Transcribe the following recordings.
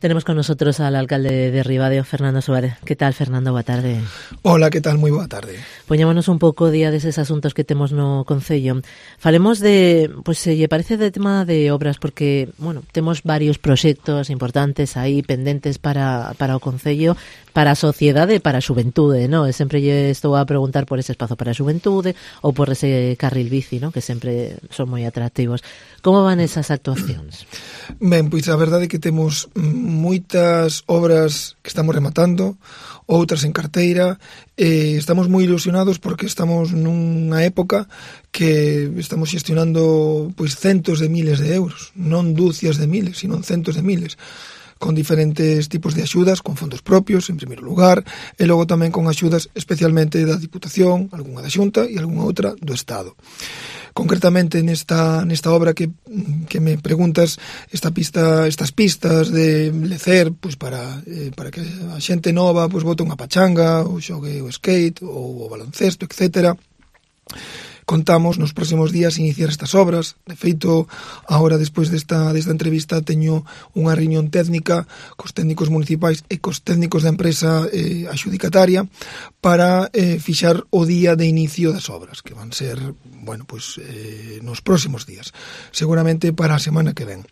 Tenemos con nosotros al alcalde de Ribadeo, Fernando Suárez. ¿Qué tal, Fernando? Boa tarde. Hola, que tal? Moi boa tarde. Poñémonos un pouco día deses asuntos que temos no Concello. Falemos de, pois se lle parece, de tema de obras, porque, bueno, temos varios proxectos importantes aí pendentes para o Concello, para a sociedade e para a xuventude, ¿no? E sempre lle estou a preguntar por ese espazo para a xuventude ou por ese carril bici, ¿no? Que sempre son moi atractivos. Como van esas actuacións? Ben, pois a verdade é que temos moitas obras que estamos rematando, outras en carteira, e estamos moi ilusionados porque estamos nunha época que estamos xestionando pois centos de miles de euros, non dúcias de miles, sino centos de miles, con diferentes tipos de axudas, con fondos propios, en primeiro lugar, e logo tamén con axudas especialmente da Diputación, algunha da Xunta e algunha outra do Estado. Concretamente nesta obra que me preguntas, estas pistas de lecer, pois para que a xente nova pois bote unha pachanga, ou xogue o skate, ou o baloncesto, etcétera. Contamos nos próximos días iniciar estas obras. De feito, agora despois desta entrevista teño unha reunión técnica cos técnicos municipais e cos técnicos da empresa axudicataria para fixar o día de inicio das obras, que van ser, bueno, pois nos próximos días, seguramente para a semana que ven.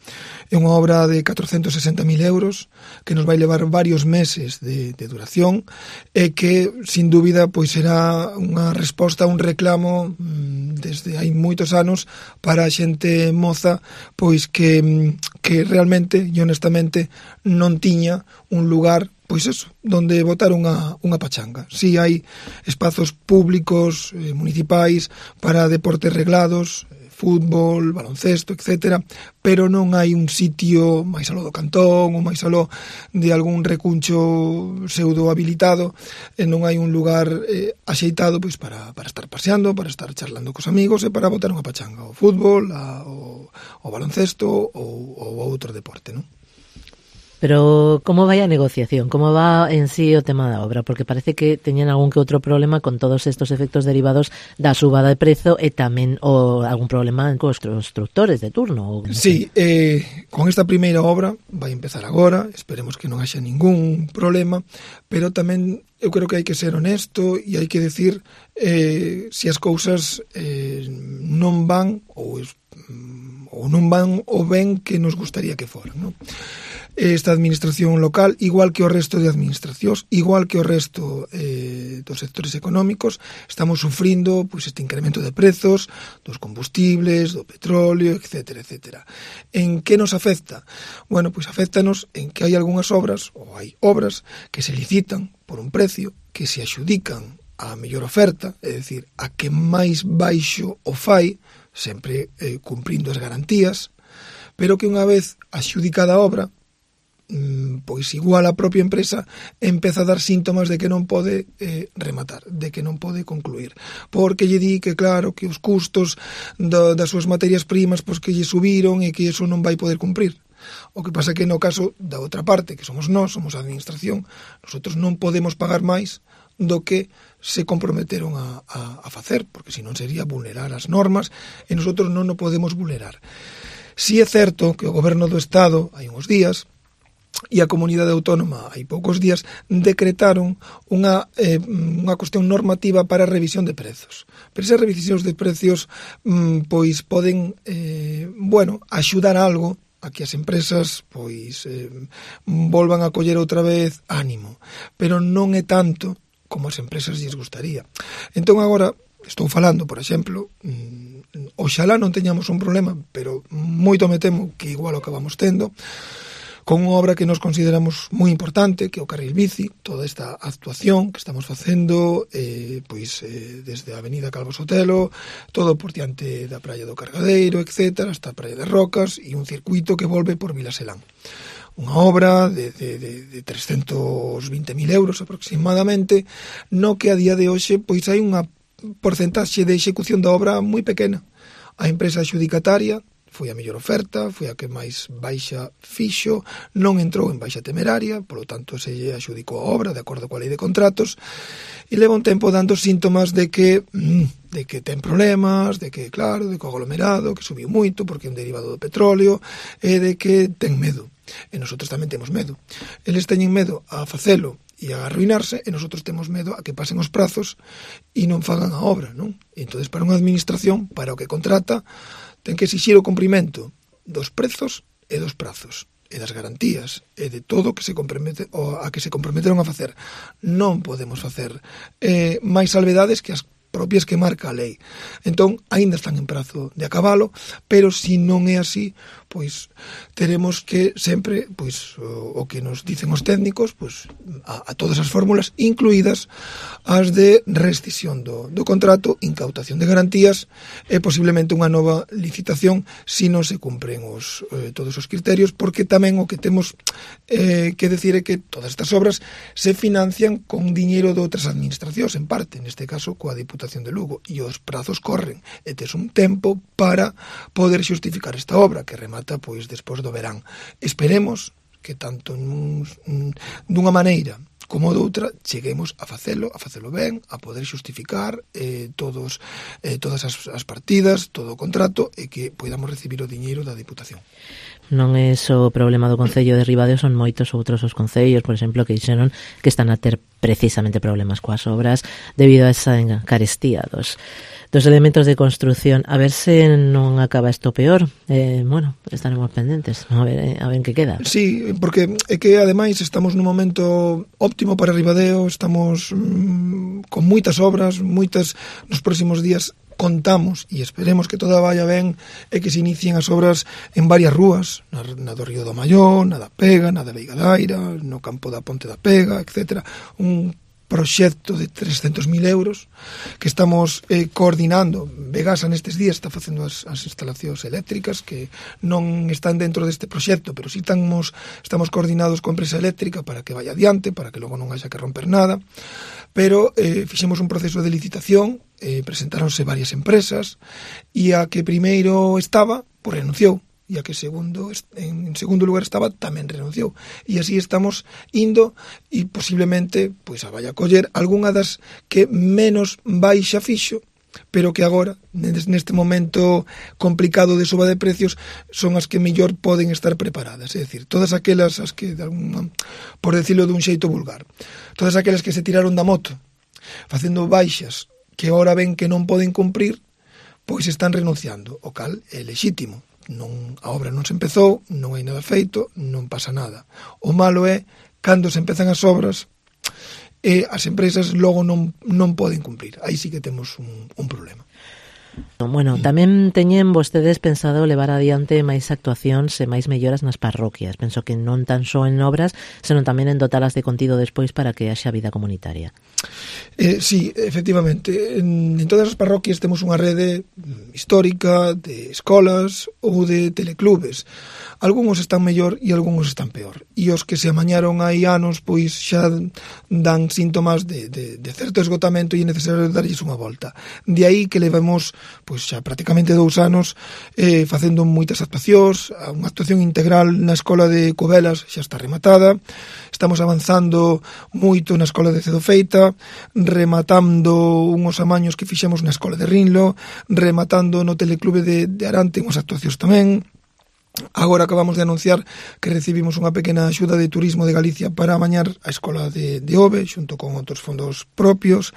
É unha obra de 460.000 euros que nos vai levar varios meses de duración e que, sin dúbida, pois será unha resposta a un reclamo desde hai moitos anos para a xente moza, pois que realmente e honestamente non tiña un lugar, pois eso, donde botar unha pachanga. Si hai espazos públicos, municipais, para deportes reglados, fútbol, baloncesto, etcétera, pero non hai un sitio máis aló do cantón ou máis aló de algún recuncho pseudo habilitado, e non hai un lugar axeitado pois para estar paseando, para estar charlando cos amigos e para botar unha pachanga, o fútbol, o baloncesto ou outro deporte, non? Pero como vai a negociación? Como va en sí o tema da obra? Porque parece que teñen algún que outro problema con todos estos efectos derivados da subada de prezo e tamén algún problema cos constructores de turno. Sí, con esta primeira obra vai empezar agora, esperemos que non haxa ningún problema, pero tamén eu creo que hai que ser honesto e hai que decir se as cousas non van ou non van o ben que nos gustaría que foran, non? Esta administración local, igual que o resto de administracións, igual que o resto dos sectores económicos, estamos sufrindo pois este incremento de prezos dos combustibles, do petróleo, etcétera, etcétera. En que nos afecta? Bueno, pois afectanos en que hai algunhas obras, ou hai obras, que se licitan por un precio, que se axudican a mellor oferta, é dicir, a que máis baixo o fai, sempre cumprindo as garantías, pero que unha vez axudicada a obra, pois igual a propia empresa empeza a dar síntomas de que non pode rematar, de que non pode concluir, porque lle di que claro, que os custos das súas materias primas pois que lle subiron e que iso non vai poder cumprir. O que pasa que no caso da outra parte, que somos nós, somos a administración, nosotros non podemos pagar máis do que se comprometeron a facer, porque senón sería vulnerar as normas e nosotros non o podemos vulnerar. Si é certo que o goberno do Estado hai uns días e a comunidade autónoma hai poucos días decretaron unha cuestión normativa para a revisión de prezos. Pero esas revisións de precios pois poden axudar algo a que as empresas pois volvan a coller outra vez ánimo, pero non é tanto como as empresas lles gustaría. Entón agora estou falando, por exemplo, oxalá non teñamos un problema, pero moito me temo que igual o acabamos tendo, con unha obra que nos consideramos moi importante, que é o carril bici, toda esta actuación que estamos facendo desde a avenida Calvo Sotelo, todo por diante da praia do Cargadeiro, etcétera, hasta a praia de Rocas, e un circuito que volve por Vilaselán. Unha obra de 320.000 euros aproximadamente, no que a día de hoxe pois hai unha porcentaxe de execución da obra moi pequena. A empresa adxudicataria foi a mellor oferta, foi a que máis baixa fixo, non entrou en baixa temeraria, polo tanto se lle adxudicou a obra de acordo coa lei de contratos, e leva un tempo dando síntomas de que ten problemas, de que, claro, de que o aglomerado, que subiu moito porque é un derivado do petróleo, e de que ten medo. e nosotros tamén temos medo. Eles teñen medo a facelo e a arruinarse, e nosotros temos medo a que pasen os prazos e non fagan a obra, non? E entón, para unha administración, para o que contrata, ten que exixir o cumprimento dos prezos e dos prazos, e das garantías, e de todo que se compromete, a que se comprometeron a facer. Non podemos facer máis salvedades que as propias que marca a lei. Entón, aínda están en prazo de acabalo, pero se non é así, pois teremos que sempre, pois o que nos dicen os técnicos, pois a todas as fórmulas, incluídas as de rescisión do contrato, incautación de garantías e posiblemente unha nova licitación se non se cumpren todos os criterios, porque tamén o que temos que decir é que todas estas obras se financian con diñeiro de outras administracións, en parte, neste caso coa Diputación de Lugo, e os prazos corren, e tes un tempo para poder xustificar esta obra, que remata pois despois do verán. Esperemos que tanto dunha maneira como doutra cheguemos a facelo ben, a poder xustificar todas as partidas, todo o contrato, e que podamos recibir o diñeiro da Diputación. Non é só o problema do Concello de Ribadeo, son moitos outros os concellos, por exemplo, que dixeron que están a ter precisamente problemas coas obras debido a esa carestía dos elementos de construción. A ver se non acaba isto peor. Bueno, estaremos pendentes a ver en que queda. Sí, porque é que ademais estamos nun momento óptimo para Ribadeo, estamos con moitas obras, nos próximos días contamos e esperemos que toda vaya ben e que se inicien as obras en varias rúas, na do Río do Maior, na da Pega, na da Veiga Daira, no campo da Ponte da Pega, etc. Un proxecto de 300.000 euros que estamos coordinando. Vegasa nestes días está facendo as instalacións eléctricas que non están dentro deste proxecto, pero si estamos coordinados coa empresa eléctrica para que vaya adiante, para que logo non haxa que romper nada. Pero fixemos un proceso de licitación, presentáronse varias empresas, e a que primeiro estaba, pois renunciou, e a que en segundo lugar estaba tamén renunciou, e así estamos indo, e posiblemente pois a vaya a coller algunha das que menos baixa fixo, pero que agora, neste momento complicado de suba de precios, son as que mellor poden estar preparadas. É dicir, todas aquelas as que, por decirlo dun xeito vulgar, todas aquelas que se tiraron da moto facendo baixas que agora ven que non poden cumprir, pois están renunciando, o cal é lexítimo. A obra non se empezou, non hai nada feito, non pasa nada. O malo é cando se empezan as obras e as empresas logo non poden cumprir. Aí sí que temos un problema. Bueno, tamén teñen vostedes pensado levar adiante máis actuacións e máis melloras nas parroquias. Penso que non tan só en obras, senón tamén en dotalas de contido despois para que haxa vida comunitaria. Sí, efectivamente. En todas as parroquias temos unha rede histórica de escolas ou de teleclubes. Algúns están mellor e algúns están peor. E os que se amañaron hai anos, pois xa dan síntomas de certo esgotamento e é necesario darlles unha volta. De aí que levamos pois xa prácticamente 2 anos facendo moitas actuacións. Unha actuación integral na escola de Covelas xa está rematada. Estamos avanzando moito na escola de Cedofeita, rematando unhos amaños que fixemos na escola de Rinlo, rematando no teleclube de Arante unhas actuacións tamén. Agora acabamos de anunciar que recibimos unha pequena axuda de Turismo de Galicia para amañar a escola de Ove, xunto con outros fondos propios,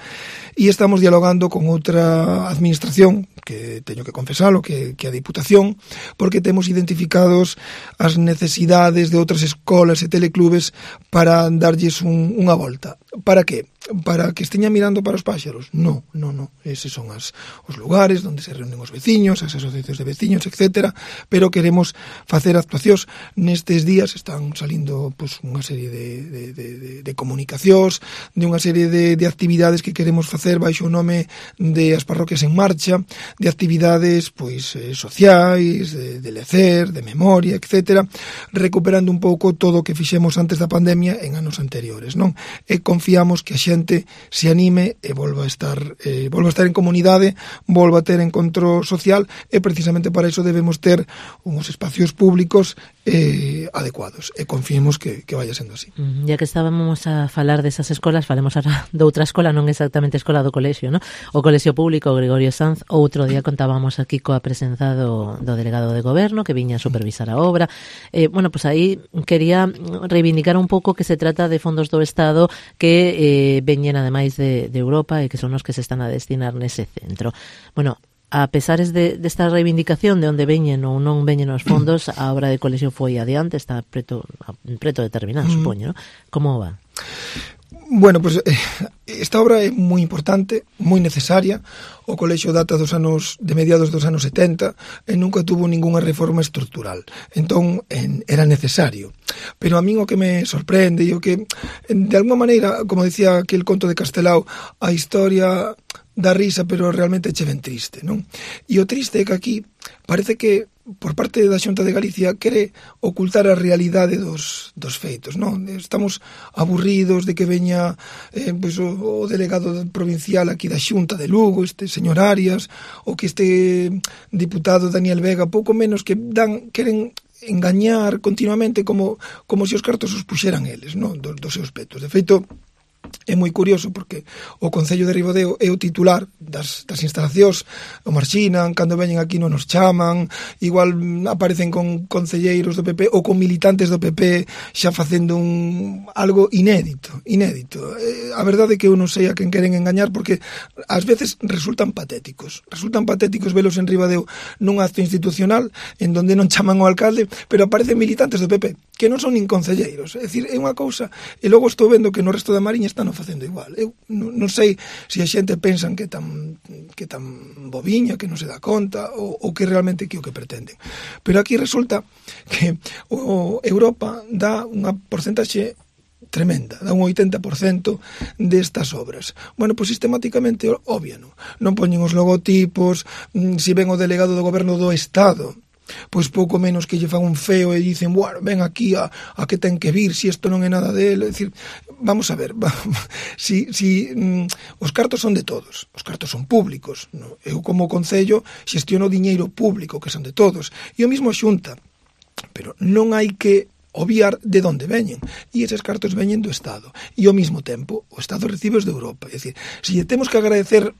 e estamos dialogando con outra administración, que teño que confesalo, que a Diputación, porque temos identificados as necesidades de outras escolas e teleclubes para darlles unha volta. Para que? Para que esteña mirando para os páxaros? No. Eses son os lugares onde se reúnen os veciños, as asociacións de veciños, etc. Pero queremos facer actuacións. Nestes días están salindo pois, unha serie de comunicacións, de unha serie de actividades que queremos facer baixo o nome de As Parroquias en Marcha, de actividades pois sociais, de lecer, de memoria, etc. Recuperando un pouco todo o que fixemos antes da pandemia en anos anteriores, non? E confiamos que a xente se anime e volva a estar en comunidade, volva a ter encontro social, e precisamente para iso debemos ter uns espacios públicos adecuados, e confiemos que vaya sendo así. Ya que estábamos a falar desas escolas, falemos ahora de outra escola, non exactamente escola do colexio, ¿no? O Colexio Público Gregorio Sanz. Outro día contábamos aquí coa presenza do delegado de goberno que viña a supervisar a obra. Bueno, pues aí quería reivindicar un pouco que se trata de fondos do Estado que veñen ademais de Europa e que son os que se están a destinar nese centro. Bueno, a pesares desta reivindicación de onde veñen ou non veñen os fondos, a obra de colexio foi adiante, está preto de terminar, supoño, ¿no? Como va? Bueno, pues esta obra é moi importante, moi necesaria. O colexio data de mediados dos anos 70 e nunca tuvo ningunha reforma estrutural. Entón, era necesario. Pero a min o que me sorprende e o que, de alguma maneira, como decía aquel conto de Castelao, a historia dá risa, pero realmente che ben triste, non? E o triste é que aquí parece que por parte da Xunta de Galicia quere ocultar a realidade dos feitos, non? Estamos aburridos de que veña pues, o delegado provincial aquí da Xunta de Lugo, este señor Arias, ou que este diputado Daniel Vega, pouco menos que queren engañar continuamente como se os cartos os puxeran eles, non? Dos seus petos. De feito, é moi curioso porque o Concello de Ribadeo é o titular das instalacións, o marxinan, cando veñen aquí non nos chaman, igual aparecen con concelleiros do PP ou con militantes do PP xa facendo algo inédito. A verdade é que eu non sei a quen queren engañar, porque ás veces resultan patéticos velos en Ribadeo nun acto institucional en donde non chaman ao alcalde, pero aparecen militantes do PP que non son nin concelleiros. É dicir, é unha cousa, e logo estou vendo que no resto da Mariña están facendo igual. Eu non sei se a xente pensan que tan bobiña, que non se dá conta, ou que realmente que o que pretenden. Pero aquí resulta que Europa dá unha porcentaxe tremenda, dá un 80% destas obras. Bueno, pois sistemáticamente obviano. Non poñen os logotipos, se ven o delegado do goberno do Estado, pois pouco menos que lle fan un feo e dicen, bueno, ven aquí a que ten que vir, si isto non é nada dele. É dicir, vamos a ver, si os cartos son de todos, os cartos son públicos, no? Eu como concello xestiono diñeiro público que son de todos, e o mismo a Xunta, pero non hai que obviar de onde veñen, e eses cartos veñen do Estado, e ao mesmo tempo o Estado recibe os de Europa. É dicir, se temos que agradecer,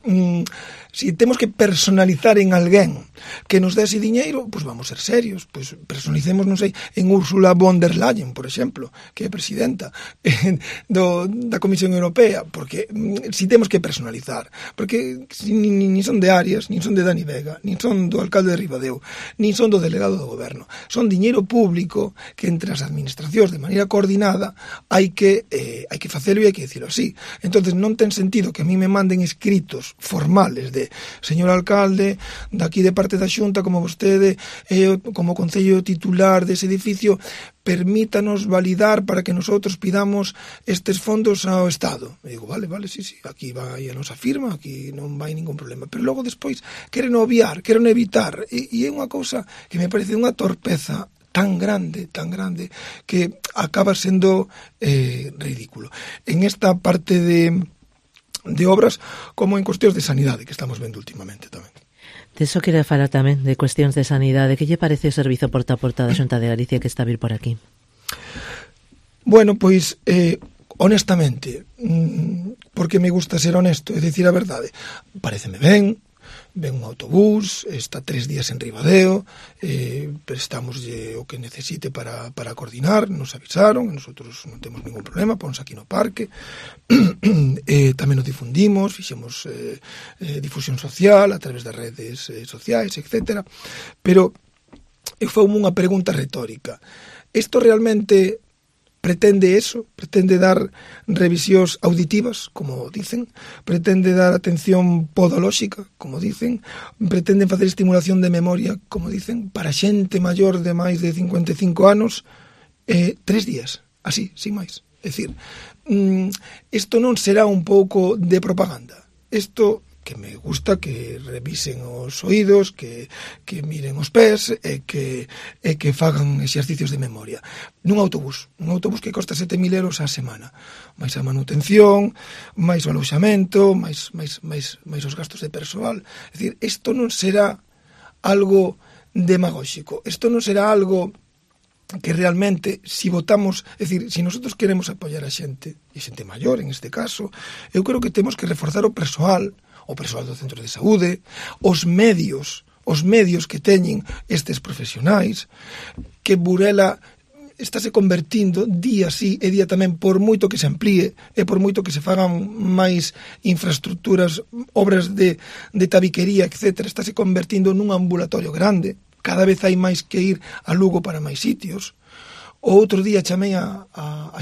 se temos que personalizar en alguén que nos dé ese diñeiro, pois vamos ser serios, pois personalicemos, non sei, en Ursula von der Leyen, por exemplo, que é presidenta da Comisión Europea, porque si temos que personalizar, porque nin son de Arias, nin son de Dani Vega, nin son do alcalde de Ribadeo, nin son do delegado do goberno, son diñeiro público que entre as administracións de maneira coordinada hai que facelo e hai que dicilo así. Entonces non ten sentido que a mí me manden escritos formales de señor alcalde, daqui de parte da Xunta, como vostede como concello titular dese edificio, permítanos validar para que nosotros pidamos estes fondos ao Estado. E digo, vale, sí, aquí vai a nosa firma, aquí non vai ningún problema. Pero logo despois queren obviar, queren evitar, e é unha cousa que me parece unha torpeza tan grande, que acaba sendo ridículo. En esta parte de obras, como en cuestións de sanidade, que estamos vendo últimamente tamén. De eso quería falar tamén, de cuestións de sanidade. Que lle parece o servizo porta a porta da Xunta de Galicia que está a vir por aquí? Bueno, pois, honestamente, porque me gusta ser honesto, é dicir a verdade, pareceme ben, ven un autobús, está 3 días en Ribadeo, prestamos o que necesite para coordinar, nos avisaron, nosotros non temos ningún problema, ponse aquí no parque, tamén o difundimos, fixemos difusión social a través das redes sociais, etc. Pero eu fai unha pregunta retórica. Isto realmente pretende eso? Pretende dar revisións auditivas, como dicen? Pretende dar atención podolóxica, como dicen? Pretenden facer estimulación de memoria, como dicen? Para xente maior de máis de 55 anos, 3 días, así, sin máis. É dicir, isto non será un pouco de propaganda. Isto que me gusta que revisen os oídos, que miren os pés e que fagan exercicios de memoria. Nun autobús que costa 7.000 euros a semana, máis a manutención, máis o aloxamento, máis os gastos de persoal. É dicir, isto non será algo demagóxico, isto non será algo que realmente, si votamos, é dicir, si nosotros queremos apoiar a xente, e xente maior en este caso, eu creo que temos que reforzar o persoal do centro de saúde, os medios que teñen estes profesionais, que Burela estáse convertindo día sí e día tamén, por moito que se amplíe e por moito que se fagan máis infraestructuras, obras de tabiquería, etc., estáse convertindo nun ambulatorio grande. Cada vez hai máis que ir a Lugo para máis sitios. O outro día chamei a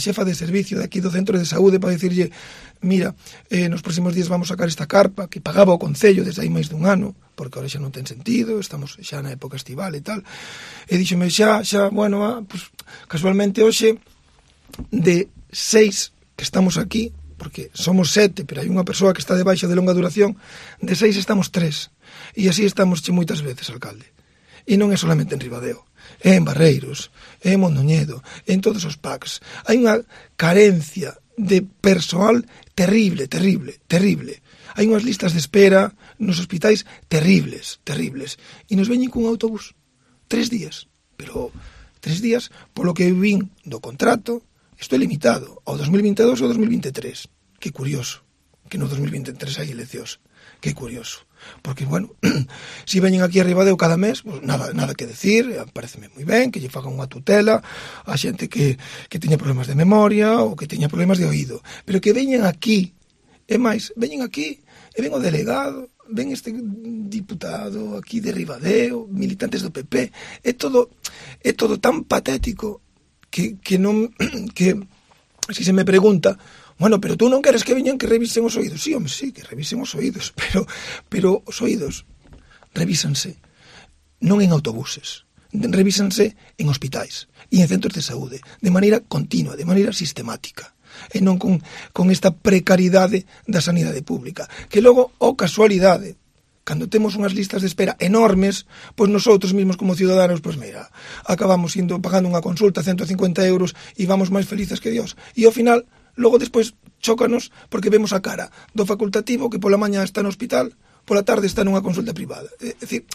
xefa de servicio de aquí do centro de saúde para dicirlle, mira, nos próximos días vamos sacar esta carpa que pagaba o Concello desde hai máis dun ano, porque ahora xa non ten sentido, estamos xa na época estival e tal. E díxome bueno, pues, casualmente hoxe de 6 que estamos aquí, porque somos 7, pero hai unha persoa que está de baixa de longa duración, de 6 estamos 3. E así estamos moitas veces, alcalde. E non é solamente en Ribadeo, é en Barreiros, é en Mondoñedo, é en todos os PACs. Hai unha carencia de persoal terrible. Hai unhas listas de espera nos hospitais terribles. E nos veñen cun autobús 3 días. Pero 3 días, polo que vin do contrato, isto é limitado ao 2022 ou 2023. Que curioso, que no 2023 hai eleccións. Que curioso. Porque, bueno, si veñen aquí a Ribadeo cada mes, pues nada que decir, pareceme moi ben que lle fagan unha tutela a xente que teña problemas de memoria ou que teña problemas de oído, pero que veñen aquí, e máis, veñen aquí e ven o delegado, ven este diputado aquí de Ribadeo, militantes do PP, é todo tan patético que non, que si se me pregunta, bueno, pero tú non queres que veñan que revisen os oídos. Sí, home, sí, que revisen os oídos, pero os oídos revísanse non en autobuses, revísanse en hospitais e en centros de saúde, de maneira continua, de maneira sistemática, e non con esta precariedade da sanidade pública, que logo, casualidade, cando temos unhas listas de espera enormes, pois nosotros mesmos como ciudadanos, pois mira, acabamos pagando unha consulta 150 euros e vamos máis felices que Dios. E ao final, logo despois chócanos porque vemos a cara do facultativo que pola mañá está no hospital, pola tarde está nunha consulta privada. É dicir,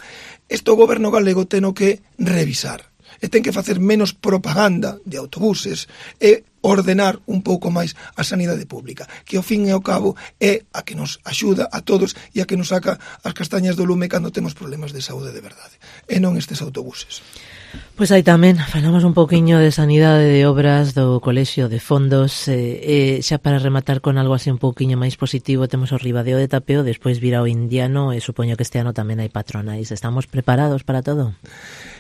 isto o goberno galego teno que revisar e ten que facer menos propaganda de autobuses e ordenar un pouco máis a sanidade pública, que ao fin e ao cabo é a que nos axuda a todos e a que nos saca as castañas do lume cando temos problemas de saúde de verdade, e non estes autobuses. Pois aí tamén falamos un pouquiño de sanidade, de obras, do colexio, de fondos, xa para rematar con algo así un pouquiño máis positivo, temos o Ribadeo de Tapeo, despois virá o Indiano e supoño que este ano tamén hai patronais. Estamos preparados para todo?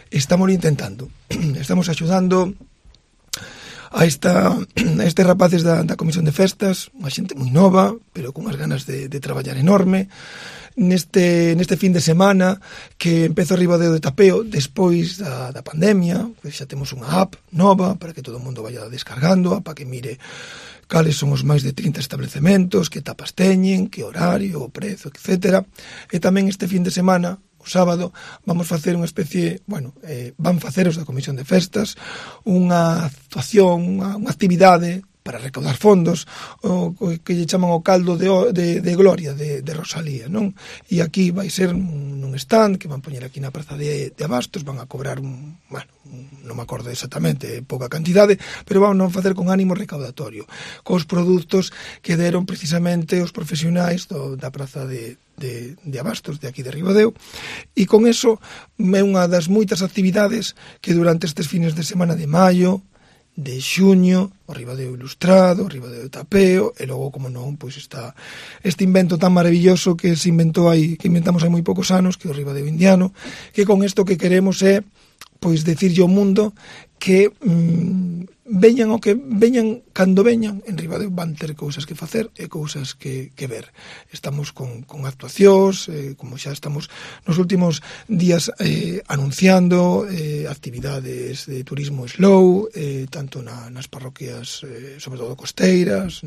Estamos intentando, estamos axudando a estes rapaces da Comisión de Festas, unha xente moi nova, pero con unhas ganas de traballar enorme. Neste fin de semana que empeza o Ribadeo de Tapeo despois da pandemia, que xa temos unha app nova para que todo o mundo vaya descargando, para que mire cales son os máis de 30 establecementos, que tapas teñen, que horario, o prezo, etc. E tamén este fin de semana, o sábado, vamos facer unha especie, van facer os da Comisión de Festas unha actuación, unha actividade para recaudar fondos, o que lle chaman o caldo de gloria de Rosalía, non? E aquí vai ser nun stand que van poñer aquí na praza de Abastos, van a cobrar non me acordo exactamente, pouca cantidade, pero van a facer con ánimo recaudatorio, cos produtos que deron precisamente os profesionais da praza de Abastos, de aquí de Ribadeo, e con eso é unha das moitas actividades que durante estes fines de semana de maio, de xuño, o Ribadeo Ilustrado, o Ribadeo de Tapeo, e logo, como non, pois está este invento tan maravilloso que inventamos hai moi poucos anos, que é o Ribadeo Indiano, que con isto que queremos é pois decirlle ao mundo que veñan o que veñan, cando veñan, en Ribadeo van ter cousas que facer e cousas que ver. Estamos con actuacións, como xa estamos nos últimos días anunciando actividades de turismo slow, tanto nas parroquias, sobre todo costeiras,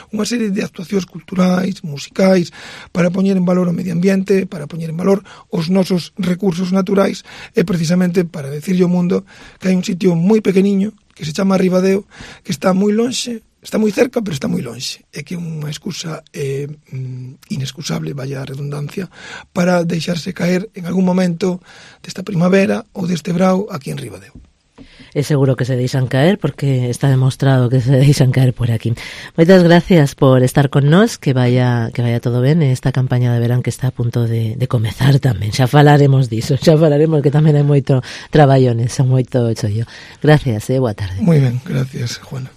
unha serie de actuacións culturais, musicais, para poñer en valor o medio ambiente, para poñer en valor os nosos recursos naturais e precisamente para decirlle ao mundo que hai un sitio moi pequeniño que se chama Ribadeo, que está moi lonxe, está moi cerca, pero está moi lonxe, e que é unha excusa inexcusable, vaya a redundancia, para deixarse caer en algún momento desta primavera ou deste brao aquí en Ribadeo. É seguro que se deixan caer, porque está demostrado que se deixan caer por aquí. Moitas gracias por estar con nós, que vaya todo ben esta campaña de verán que está a punto de comezar tamén. Xa falaremos diso, xa falaremos que tamén hai moito traballo nesa, moito chollo. Gracias, boa tarde. Moi ben, gracias, Juana.